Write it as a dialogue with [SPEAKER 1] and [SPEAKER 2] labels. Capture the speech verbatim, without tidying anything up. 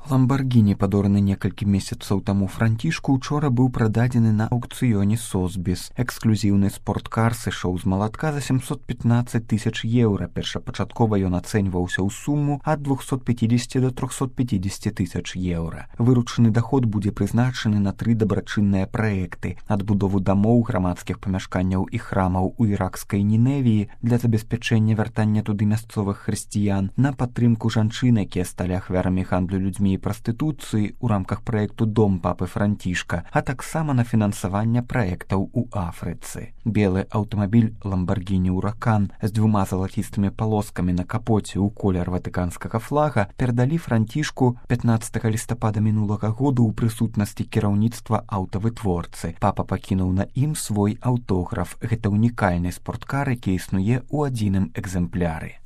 [SPEAKER 1] Ламбаргіні, падораны некалькі месяцаў таму Францішку, учора быў прададзены на аўкцыёне Сосбіс. Эксклюзіўны спорткар сышоў з малатка за семьсот пятнадцать тысяч еўра. Першапачаткова ён ацэньваўся ў суму ад двухсот пятидесяти до трехсот пятидесяти тысяч еўра. Выручаны даход будзе прызначаны на тры дабрачынныя праекты: адбудову дамоў, грамадскіх памяшканняў і храмаў у іракскай Ніневіі для забеспячэння вяртання туды мясцовых хрысціян, на падтрымку жанчын, якія сталі ахвярамі гандлю людзьмі і прастытуцыі ў рамках праекту «Дом папы Францішка», а таксама на фінансаванне праектаў у Афрыцы. Белы аўтамабіль «Ламбаргіні Уракан» з двума залацістымі палоскамі на капоце ў колер ватыканскага флага перадалі Францішку пятнаццатага лістапада мінулага году ў прысутнасці кіраўніцтва аўтавытворцы. Папа пакінуў на ім свой аўтограф. Гэта унікальны спорткар, які існуе ў адзіным экземпляры.